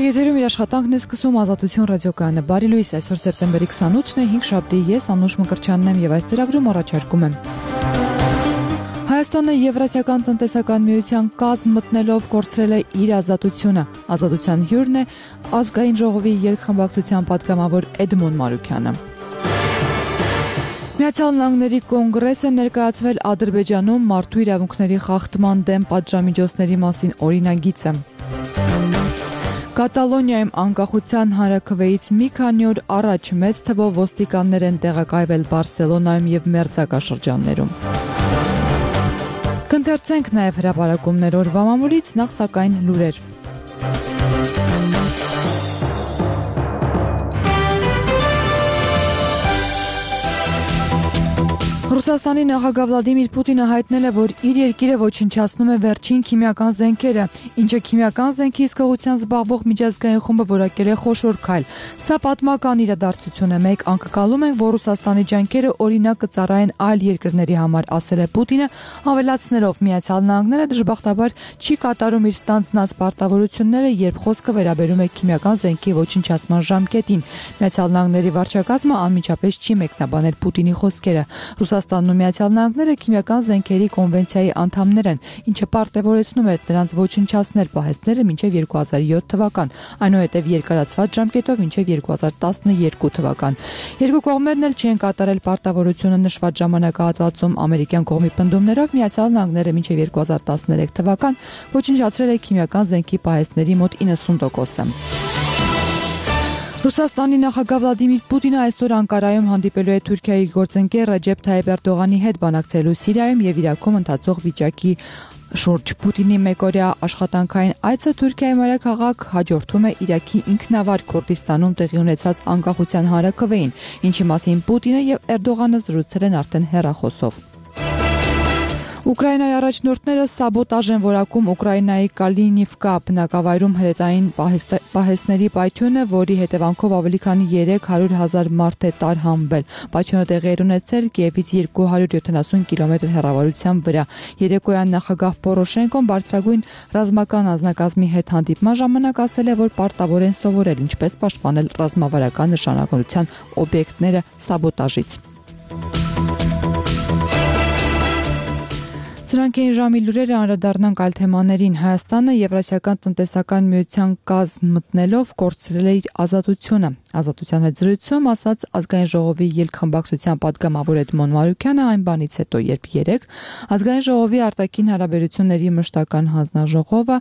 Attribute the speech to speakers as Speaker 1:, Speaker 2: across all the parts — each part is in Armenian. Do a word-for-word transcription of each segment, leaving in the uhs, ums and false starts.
Speaker 1: Եթերում իր աշխատանքն է սկսում Ազատություն ռադիոկայանը։ Բարի լույս, այսօր սեպտեմբերի քսանութն է, հինգշաբթի, ես Անուշ Մկրտչյանն եմ եւ այս ծրագրում առաջարկում եմ։ Հայաստանը Եվրասիական տնտեսական միության կազմ մտնելով կորցրել է իր ազատությունը։ Ազատության հյուրն է ազգային ժողովի երկխմբակցության պատգամավոր Էդմոն Մարուքյանը։ Միացյալ Նահանգների կոնգրեսը ներկայացվել Ադրբեջանում մարդու իրավունքների խախտման դեմ պատժամիջոցների մասին օրինագիծը։ Կատալոնիայում անկախության հանրաքվեից մի քանի օր առաջ մեծ թվով ոստիկաններ են տեղակայվել Բարսելոնայում եւ մերձակաշրջաններում։ Կընթերցենք նաև հրապարակումներ օրվա մամուլից, նախ սակայն լուրեր։ Ռուսաստանի նախագահ Վլադիմիր Պուտինը հայտնել է, որ իր երկիրը ոչնչացնում է վերջին քիմիական զենքերը, ինչը քիմիական զենքի հսկողությամբ զբաղվող միջազգային խումբը որակել է խոշոր քայլ։ Սա պատմական իրադարձություն է, մեկ անկկալում ենք, որ Ռուսաստանի ջանքերը օրինակ կծառայեն այլ երկրների համար, ասել է Պուտինը, ավելացնելով Միացյալ Նահանգները դժբախտաբար չի կատարում իր ստանձնած պարտավորությունները, երբ խոսքը վերաբերում է քիմիական զենքի ոչնչացման ժամկետին։ Միացյալ Նահանգների վարչակազմը անմիջապես չի մեկնաբանել Պուտինի խոսքերը։ Ռուսաստանն ու Միացյալ Նահանգները քիմիական զենքերի կոնվենցիայի անդամներ են, ինչը պարտավորեցնում է նրանց ոչնչացնել պահեստները մինչև երկու հազար յոթ թվական, այնուհետև երկարացված ժամկետով մինչև երկու հազար տասներկու թվական։ Երկու կողմերն էլ չեն կատարել պարտավորությունը նշված ժամանակահատվածում ամերիկյան կողմի պնդումներով Միացյալ Նահանգները մինչև երկու հազար տասներեք թվական ոչնչացրել է քիմիական զենքի պահեստների մոտ իննսուն տոկոսը։ Ռուսաստանի նախագահ Վլադիմիր Պուտինը այսօր Անկարայում հանդիպելու է Թուրքիայի գործընկեր Ռեջեփ Թայիփ Էրդողանի հետ բանակցելու Սիրիայում եւ Իրաքում ընթացող վիճակի շուրջ։ Պուտինի մեկօրյա աշխատանքային այցը Թուրքիայի մայրաքաղաք հաջորդում է Իրաքի ինքնավար Քուրդիստանում տեղի ունեցած անկախության հանրաքվեին, ինչի մասին Պուտինը եւ Էրդողանը զրուցել են արդեն հեռախոսով։ Ուկրաինայի առաջնորդները սաբոտաժ են որակում Ուկրաինայի Կալինիվկա բնակավայրում հրետային պահեստների պայթյունը, որի հետևանքով ավելի քան երեք հարյուր հազար մարդ է տարհանվել։ Պայթյունը տեղի էր ունեցել Կիևից երկու հարյուր յոթանասուն կիլոմետր հեռավորության վրա։ Երեկոյան նախագահ Պորոշենկոն բարձրագույն ռազմական անձնակազմի հետ հանդիպման ժամանակ ասել է, որ պարտավոր են սովորել ինչպես պաշտպանել ռազմավարական նշանակության օբյեկտները սաբոտաժից։ Սրանք էին ժամի լուրերը, անդրադառնանք այլ թեմաներին։ Հայաստանը Եվրասիական տնտեսական միության կազմ մտնելով կորցրել է իր ազատությունը։ Ազատության հետ զրույցում ասաց ազգային ժողովի ելքխմբակցության պատգամավոր Էդմոն Մարուքյանը այն բանից հետո, երբ երեկ ազգային ժողովի արտաքին հարաբերությունների մշտական հանձնաժողովը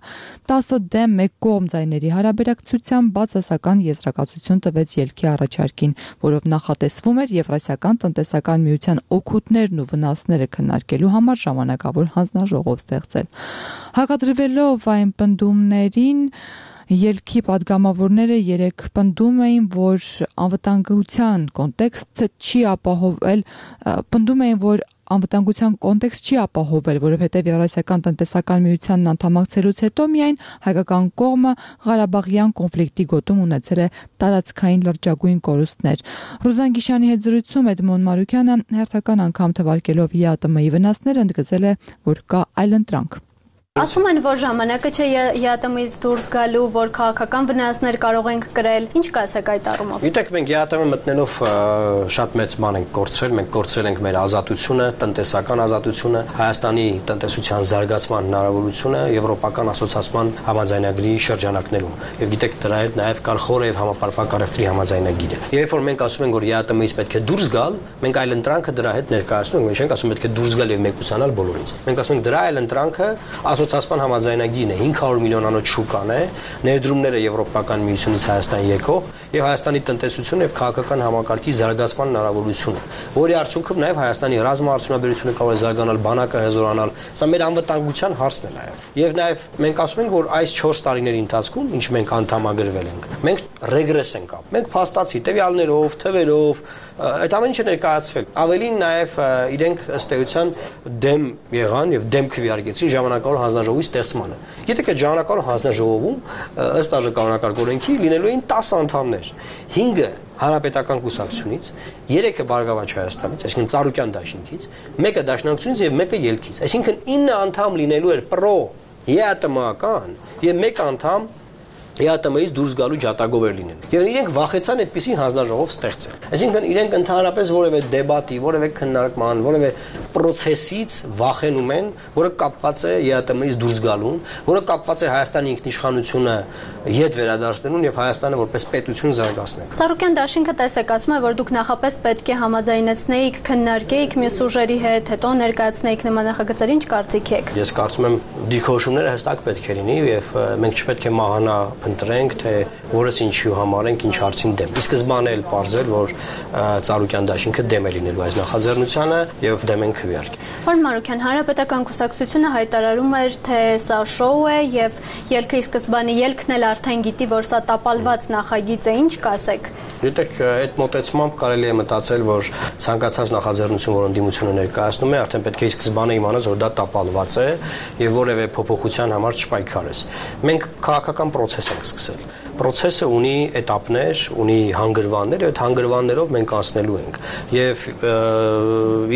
Speaker 1: տասը դեմ մեկ կողմ ձայների հարաբերակցությամբ բացասական եզրակացություն տվեց ելքի առաջարկին, որով նախատեսվում էր Եվրասիական տնտեսական միության օգուտներն ու վնասները քննարկելու համար ժամանակավոր հանձնաժողով ստեղծել։ Հակադրվելով այն պնդումներին, ելքի պատգամավորները երեք պնդում էին, որ անվտանգության կոնտեքստը չի ապահովել, պնդում էին, որ անվտանգության կոնտեքստ չի ապահովել, որովհետև Եվրասիական տնտեսական միությանն անդամակցելուց հետո միայն հայկական կողմը Ղարաբաղյան կոնֆլիկտի գոտում ունեցել է տարածքային լրջագույն կորուստներ։ Ռուզան Գիշանի հետ զրույցում Էդմոն Մարուքյանը հերթական անգամ թվարկելով ԵԱՏՄ-ի վնասները ընդգծել է, որ կա այլընտրանք։
Speaker 2: Ասում են, որ ժամանակը չէ ԵԱՏՄ-ից դուրս գալու, որ քաղաքական վնասներ կարող ենք կրել։ Ինչ կասեք այդ առումով։
Speaker 3: Գիտեք, մենք ԵԱՏՄ մտնելով շատ մեծ բան ենք կորցրել, մենք կորցրել ենք մեր ազատությունը, տնտեսական ազատությունը, Հայաստանի տնտեսության զարգացման հնարավորությունը եվրոպական ասոցիացիան համաձայնագրի շրջանակներում։ Եվ գիտեք, դրա հետ նաև կար խորը եւ համապարփակ առևտրի համաձայնագիրը։ Երբ որ մենք ասում ենք, որ ԵԱՏՄ-ից պետք է դուրս գալ, մենք այլ ընտրանքը դրա հետ ներկայացնում ենք, մենք չենք ասում պետք է դուրս գալ եւ մեկուսանալ բոլորից։ Մենք ասում ենք դրա այլ ընտրանքը ասոցիացիան համաձայնագիրն է, հինգ հարյուր միլիոնանոց շուկան է, ներդրումները Եվրոպական միությունից Հայաստան եկող եւ Հայաստանի տնտեսությունը եւ քաղաքական համակարգի զարգացման հնարավորությունը, որի արդյունքում նաեւ Հայաստանի ռազմաարդյունաբերությունը կարող է զարգանալ, բանակը հզորանալ, սա մեր անվտանգության հարցն է նաեւ։ Եվ նաեւ մենք ասում ենք, որ այս չորս տարիների ընթացքում, ինչ մենք անդամագրվել ենք, մենք ռեգրես ենք ապրել։ Մենք փաստացի տվյալներով, թվերով, այդ ամեն ինչը ներկայացվել։ Ավելին նաև իրենք ըստ էության դեմ եղան եւ դեմ քվեարկեցին ժամանակավոր հանձնաժողովի ստեղծմանը։ Գիտեք, այդ ժամանակավոր հանձնաժողովում ըստ աժկանոնակարգ օրենքի լինելու էին տասը անդամներ։ հինգը Հանրապետական կուսակցությունից, երեքը Բարգավաճ Հայաստանից, այսինքն Ծառուկյան դաշինքից, մեկը Դաշնակցությունից եւ մեկը Ելքից։ Այսինքն ինը անդամ լինելու էր պրո ԵԱՏՄ-ական եւ մեկ անդամ ԵԱՏՄ-ից դուրս գալու ջատագովեր լինեն։ Եվ իրենք վախեցան այդպիսի հանձնաժողով ստեղծել։ Այսինքն իրենք ընդհանրապես որևէ դեբատի, որևէ քննարկման, որևէ process-ից վախենում են, որը կապված է ԵԱՏՄ-ից դուրս գալուն, որը կապված է Հայաստանի ինքնիշխանությունը ետ վերադարձնելուն եւ Հայաստանը որպես պետություն զարգացնելուն։
Speaker 2: Ծառուկյան դաշինքը տեսեկացում է, որ դուք նախապես պետք է համաձայնեցնեիք, քննարկեիք մյուս ուժերի հետ, հետո ներկայացնեիք նման նախագծեր, ինչ կարծիք եք։
Speaker 3: Ես կարծում եմ դիրքորոշումները հստակ պետք է լինի եւ մենք չպետք է մահանա ընտրենք, թե որս ինչու համար ենք, ինչ հարցին դեմ։ Ի սկզբանե էլ պարզել, որ Ծառուկյան դաշինքը դեմ է լինելու այս նախաձեռնությանը եւ դեմ ենք իհարկե։
Speaker 2: Պարոն Մանուկյան, Հանրապետական կուսակցությունը հայտարարում էր, թե սա շոու է եւ ելքը ի սկզբանե ելքն էլ արդեն գիտի, որ սա տապալված նախագիծ է, ինչ կասեք։
Speaker 3: Գիտեք, այդ մոտեցմամբ կարելի է մտածել, որ ցանկացած նախաձեռնություն, որ ընդդիմությունը ներկայացնում է, արդեն պետք է ի սկզբանե իմանաս, որ դա տապալված է եւ որևէ փոփոխության համար չպայքարես։ Մենք քաղաքական process ենք սկսել։ Process-ը ունի էտապներ, ունի հանգրվաններ, եւ այդ հանգրվաններով մենք անցնելու ենք։ Եվ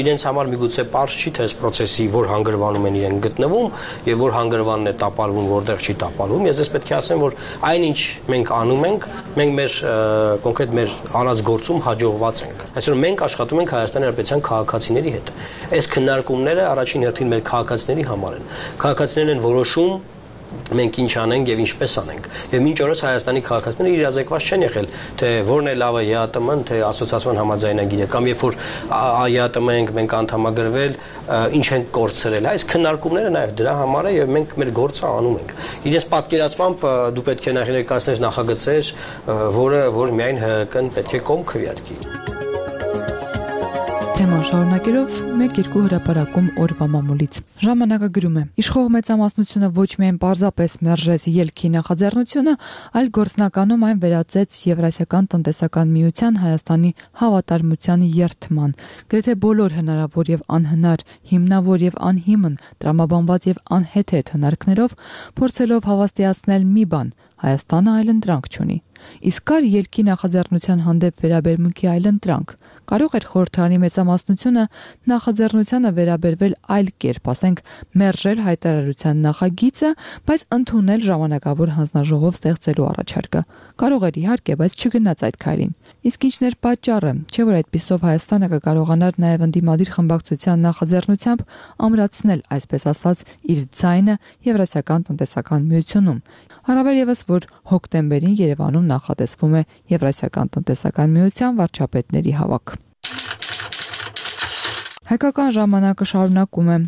Speaker 3: իրենց համար միգուցե པարզ չի, թե այս process-ի որ հանգրվանում են իրենք գտնվում եւ որ հանգրվանն է տապալվում, որտեղ չի տապալվում։ Ես ես պետք է ասեմ, որ այնինչ մենք անում ենք, մենք մեր կոնկրետ մեր արած գործում հաջողված ենք։ Այսինքն մենք աշխատում ենք Հայաստանի Հանրապետության քաղաքացիների հետ։ Այս քննարկումները առաջին հերթին մեր քաղաքացիների համար են։ Քաղաքացիներն են որոշում մենք ինչ անենք եւ ինչպես անենք։ Եվ մինչ օրս Հայաստանի քաղաքացիները իրազեկված չեն եղել, թե որն է լավը ԵԱՏՄ-ն, թե ասոցիացիան համաձայնագիրը, կամ երբ որ ԵԱՏՄ ենք մենք անդամագրվել, ինչ ենք կորցրել։ Այս քննարկումները նաեւ դրա համար է եւ մենք մեր գործը անում ենք։ Իրենց պատկերացմամբ դու պետք է ներկայացնես նախագծեր, որը որ միայն ՀՀԿ-ն պետք է կողմ քվեարկի։
Speaker 1: Թեման շարունակելով մեկ երկու հրապարակում օրվա մամուլից։ Ժամանակը գրում է. Իշխող մեծամասնությունը ոչ միայն պարզապես մերժեց ելքի նախաձեռնությունը, այլ գործնականում այն վերածեց Եվրասիական տնտեսական միության Հայաստանի հավատարմության երթման։ Գրեթե բոլոր հնարավոր եւ անհնար, հիմնավոր եւ անհիմն, տրամաբանված եւ անհեթեթ հնարքներով փորձելով հավաստիացնել մի բան. Հայաստանը այլընտրանք չունի։ Իսկ կար ելքի նախաձեռնության հանդեպ վերաբերմունքի այլընտրանք։ Կարող էր խորհրդարանի մեծամասնությունը նախաձեռնությանը վերաբերվել այլ կերպ, ասենք մերժել հայտարարության նախագիծը, բայց ընդունել ժամանակավոր հանձնաժողով ստեղծելու առաջարկը։ Կարող էր իհարկե, բայց չգնաց այդ քայլին։ Իսկ ինչն էր պատճառը, չէ՞ որ այդպիսով Հայաստանը կկարողանար նաև ընդդիմադիր խմբակցության նախաձեռնությամբ ամրացնել, այսպես ասած, իր ձայնը Եվրասիական տնտեսական միությունում։ Առավել ևս, որ հոկտեմբերին Երևանում նախատեսվում է Եվրասիական տնտեսական միության վարչապետների հավաք։ Հայկական ժամանակը շարունակում է.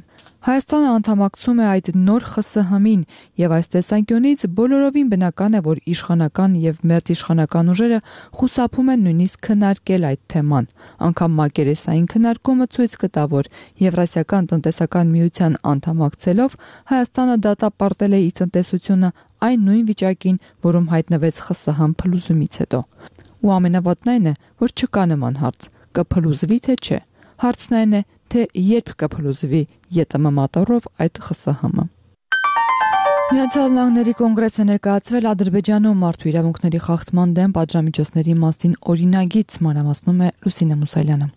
Speaker 1: Հայաստանը անդամակցում է այդ նոր ԽՍՀՄ-ին եւ այս տեսանկյունից բոլորովին բնական է, որ իշխանական եւ մերձիշխանական ուժերը խուսափում են նույնիսկ քննարկել այդ թեման։ Անկամ մակերեսային քննարկումը ցույց կտա, որ Եվրասիական տնտեսական միության անդամակցելով Հայաստանը դատապարտել է իր տնտեսությունը այն նույն վիճակին, որում հայտնվեց ԽՍՀՄ փլուզումից հետո։ Ու ամենավատն այն է, որ չկա նման հարց. կփլուզվի թե չէ։ Հարցն այն է, թե երբ կփլուզվի ԵՏՄ մատառով այդ ԽՍՀՄ-ը։ Միացյալ Նահանգների կոնգրեսը ներկայացվել Ադրբեջանում մարդու իրավունքների խախտման դեմ պատժամիջոցների մասին օրինագիծ, մանրամասնում է Լուսինե Մուսալյանը։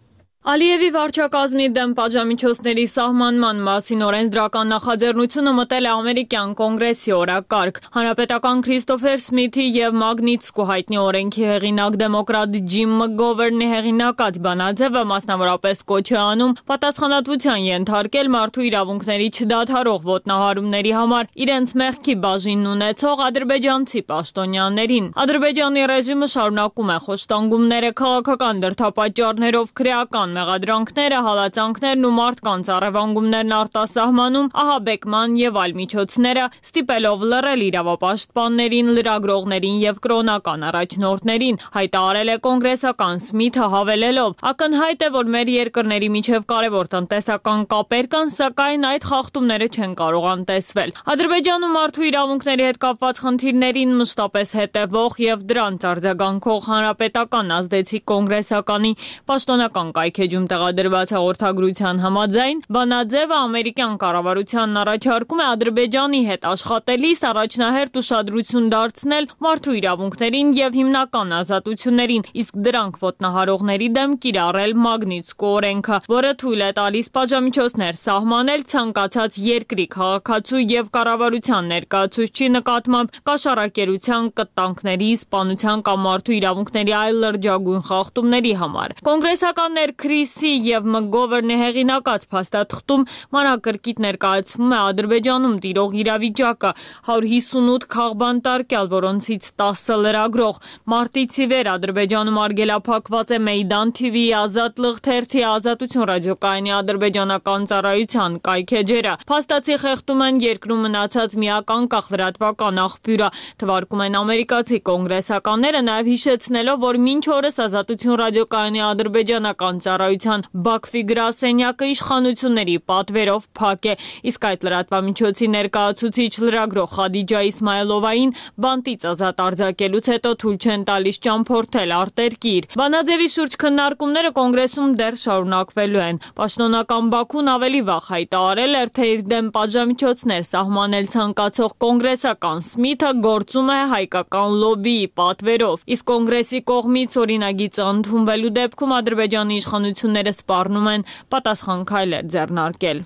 Speaker 4: Ալիևի վարչակազմի դեմ պատժամիջոցների սահմանման մասին օրենսդրական նախաձեռնությունը մտել է ամերիկյան կոնգրեսի օրակարգ։ Հանրապետական Քրիստոֆեր Սմիթի եւ Մագնիտսկու հայտնի օրենքի հեղինակ դեմոկրատ Ջիմ Մկգովերնի հեղինակած բանաձևը մասնավորապես կոչ է անում պատասխանատվության ենթարկել մարդու իրավունքների չդադարող ոտնահարումների համար իրենց մեղքի բաժինն ունեցող ադրբեջանցի պաշտոնյաներին։ Ադրբեջանի ռեժիմը շարունակում է խոշտանգումները քաղաքական դրդապատճառներով քրեական մեղադրանքները, հալածանքներն ու մարդկանց առևանգումներն արտասահմանում, ահաբեկման եւ այլ միջոցները, ստիպելով լռել իրավապաշտպաններին, լրագրողներին եւ կրոնական առաջնորդներին, հայտարարել է կոնգրեսական Սմիթը հավելելով. ակնհայտ է, որ մեր երկրների միջև կարևոր տնտեսական կապեր կան, սակայն այդ խախտումները չեն կարող անտեսվել։ Ադրբեջանում մարդու իրավունքների հետ կապված խնդիրներին մշտապես հետևող եւ դրանց արձագանքող հանրապետական ազդեցիկ կոնգրեսականի պաշտոնական կայքերի էջում տեղադրված հաղորդագրության համաձայն Բանաձևը ամերիկյան կառավարությանն առաջարկում է Ադրբեջանի հետ աշխատելիս առաջնահերթ ուշադրություն դարձնել մարդու իրավունքներին եւ հիմնական ազատություններին, իսկ դրանք ոտնահարողների դեմ կիրառել Մագնիտսկու օրենքը, որը թույլ է տալիս պատժամիջոցներ սահմանել ցանկացած երկրի քաղաքացու եւ կառավարության ներկայացուցչի նկատմամբ կաշառակերության, կտանքների, սպանության կամ մարդու իրավունքների այլ լրջագույն խախտումների համար։ Կոնգրեսականներ Քրիսի եւ Մգովերնի հեղինակած փաստաթղթում մանրակրկիտ ներկայացվում է Ադրբեջանում տիրող իրավիճակը, հարյուր հիսունութ քաղբանտարկյալ, որոնցից տասը լրագրող։ Մարտից ի վեր Ադրբեջանում արգելափակված է Մեյդան թիվի, Ազատ լղ թերթի, Ազատություն ռադիոկայանի ադրբեջանական ծառայության կայքեջերը։ Փաստացի խեղդում են երկրում մնացած միակ անկախ լրատվական աղբյուրը, թվարկում են ամերիկացի կոնգրեսականները, նաև հիշեցնելով, որ մինչ օրս Ազատություն ռադիոկայանի ադրբեջանական ծառայության Բաքվի գրասենյակը իշխանությունների պատվերով փակ է, իսկ այդ լրատվամիջոցի ներկայացուցիչ լրագրող Խադիջա Իսմայելովային բանտից ազատ արձակելուց հետո թույլ չեն տալիս ճամփորդել արտերկիր։ Բանաձևի շուրջ քննարկումները կոնգրեսում դեռ շարունակվելու են։ Պաշտոնական Բաքուն ավելի վաղ հայտարարել էր, թե իր դեմ պատժամիջոցներ սահմանել ցանկացող կոնգրեսական Սմիթը գործում է հայկական լոբբիի պատվերով, իսկ կոնգրեսի կողմից օրինագիծը ընդունվելու դեպքում Ադրբեջանի իշխանությունները սպառնում են պատասխան քայլեր ձեռնարկել։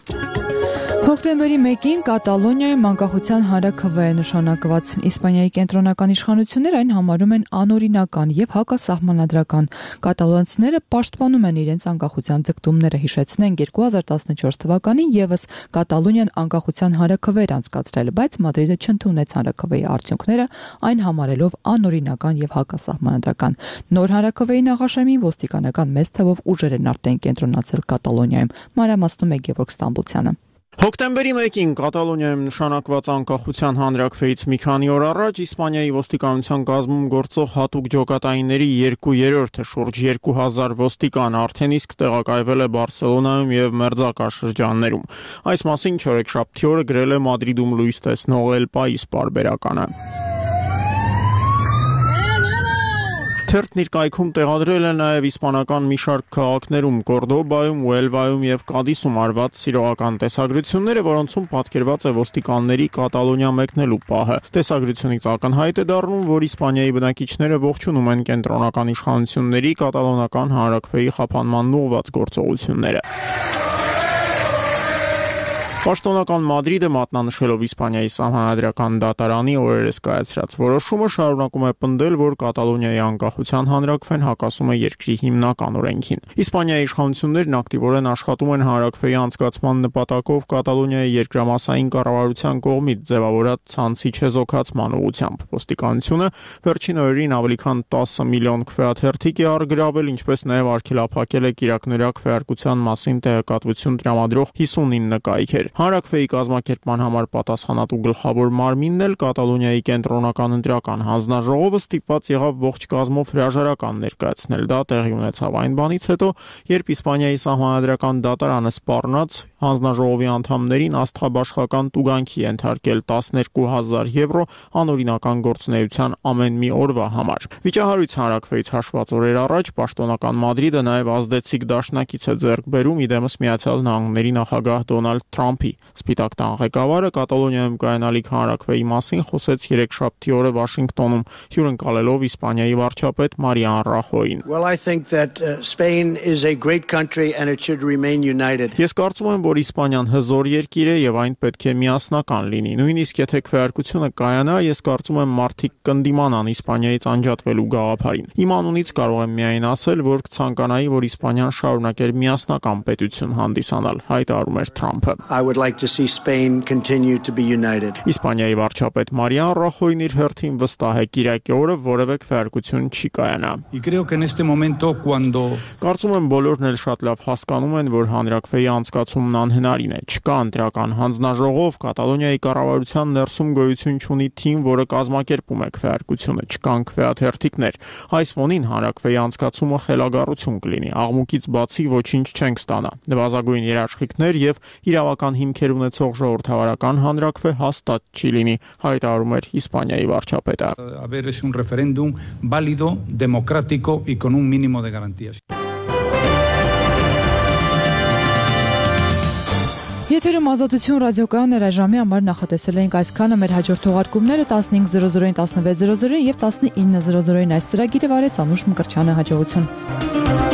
Speaker 1: Հոկտեմբերի մեկին Կատալոնիայում անկախության հանրաքվե է նշանակված։ Իսպանիայի կենտրոնական իշխանությունները այն համարում են անօրինական եւ հակասահմանադրական։ Կատալոնցիները պաշտպանում են իրենց անկախության ձգտումները, հիշեցնենք երկու հազար տասնչորս թվականին եւս Կատալոնիան անկախության հանրաքվե էր անցկացրել, բայց Մադրիդը չընդունեց հանրաքվեի արդյունքները, այն համարելով անօրինական եւ հակասահմանադրական։ Նոր հանրաքվեի նախաշեմին ոստիկանական մեծ թվով ուժեր են արդեն կենտրոնացել Կատալոնիայում։ Մանրամասնում է Գևորգ Ստամբուլցյանը։
Speaker 5: Հոկտեմբերի մեկին Կատալոնիայում նշանակված անկախության հանրաքվեից մի քանի օր առաջ Իսպանիայի ոստիկանության կազմում գործող հատուկ ջոկատայինների երկու երրորդը շուրջ երկու հազար ոստիկան արդեն իսկ տեղակայվել է Բարսելոնայում եւ մերձակա շրջաններում։ Այս մասին չորեքշաբթի օրը գրել է Մադրիդում լույս տեսնող El País պարբերականը։ Թերթն իր կայքում տեղադրել է նաև իսպանական մի շարք քաղաքներում Կորդոբայում, Ուելվայում եւ Կադիսում արված սիրողական տեսագրությունները, որոնցում պատկերված է ոստիկանների Կատալոնիա մեկնելու պահը։ Տեսագրությունից ակնհայտ է դառնում, որ Իսպանիայի բնակիչները ողջունում են կենտրոնական իշխանությունների կատալոնական հանրաքվեի խափանման ուղղված գործողությունները։ Պաշտոնական Մադրիդը մատնանշելով Իսպանիայի սահմանադրական դատարանի օրերս կայացրած որոշումը շարունակում է պնդել, որ Կատալոնիայի անկախության հանրաքվեն հակասում է երկրի հիմնական օրենքին։ Իսպանիայի իշխանություններն ակտիվորեն աշխատում են հանրաքվեի անցկացման նպատակով Կատալոնիայի երկրամասային կառավարության կողմից ձևավորած ցանցի չեզոքացման ուղղությամբ։ Ոստիկանությունը վերջին օրերին ավելի քան տասը միլիոն քվեաթերթիկ է առգրավել, ինչպես նաև արգելափակել է կիրակնօրյա քվեարկության մասին տեղեկատվություն տրամադրող հիսունինը կայքեր։ Հանրաքվեի կազմակերպման համար պատասխանատու գլխավոր մարմինն էլ Կատալոնիայի կենտրոնական ընտրական հանձնաժողովը ստիպված եղավ ողջ կազմով հրաժարական ներկայացնել։ Դա տեղի ունեցավ այն բանից հետո, երբ Իսպանիայի սահմանադրական դատարանը սպառնաց հանձնաժողովի անդամներին աստղաբաշխական տուգանքի ենթարկել տասներկու հազար եվրո անօրինական գործունեության ամեն մի օրվա համար։ Վիճահարույց հանրաքվեից հաշված օրեր առաջ պաշտոնական Մադրիդը նաև ազդեցիկ դաշնակից է ձեռք բերում իդեմս Միացյալ Նահանգների նախագահ Դոնալդ Թրամփի։ Սպիտակ տան ղեկավարը Կատալոնիայում կայանալիք հանրաքվեի մասին խոսեց երեքշաբթի օրը Վաշինգտոնում, հյուրընկալելով Իսպանիայի վարչապետ Մարիան Ռախոյին։
Speaker 6: Well, I think that uh, Spain is a great country and it should remain united.
Speaker 5: Ես կարծում եմ, որ Իսպանիան հզոր երկիր է եւ այն պետք է միասնական լինի։ Նույնիսկ եթե քվեարկությունը կայանա, ես կարծում եմ մարդիկ կնդիմանան Իսպանիայից անջատվելու գաղափարին։ Իմ անունից կարող եմ միայն ասել, որ կցանկանայի, որ Իսպանիան շարունակեր միասնական պետություն հանդիսանալ, հայտարարում էր Թրամփը։
Speaker 6: I would like to see Spain continue to be united.
Speaker 5: Իսպանիայի վարչապետ Մարիան Ռախոյն իր հերթին վստահ է կիրակի օրը որևէ քվեարկություն չի կայանա։
Speaker 7: Y creo que en este momento cuando
Speaker 5: Կարծում եմ բոլորն էլ շատ լավ հասկանում են, որ հանրաքվեի անցկացումն անհնարին է։ Չկա ընտրական հանձնաժողով, Կատալոնիայի կառավարության ներսում գոյություն չունի թիմ, որը կազմակերպում է քվեարկությունը, չկան քվեաթերթիկներ։ Այս ֆոնին հանրաքվեի անցկացումը խելագարություն կլինի։ Աղմուկից բացի ոչինչ չենք ստանա։ Նվազագույն երաշխիքներ եւ իրավական հիմքեր ունեցող ժողովրդավարական հանրաքվե հաստատ չի լինի, հայտարարում էր Իսպանիայի վարչապետը։
Speaker 7: haber es un referéndum válido, democrático y con un mínimo de garantías.
Speaker 1: Եթերում Ազատություն ռադիոկայան երաժամի համար նախատեսել էինք այսքանը, մեր հաջորդ թողարկումները տասնհինգ զրո զրոին, տասնվեց զրո զրոին եւ տասնինը զրո զրոին այս ծրագիրը վարեց Անուշ Մկրտչյանը։ Հաջողություն։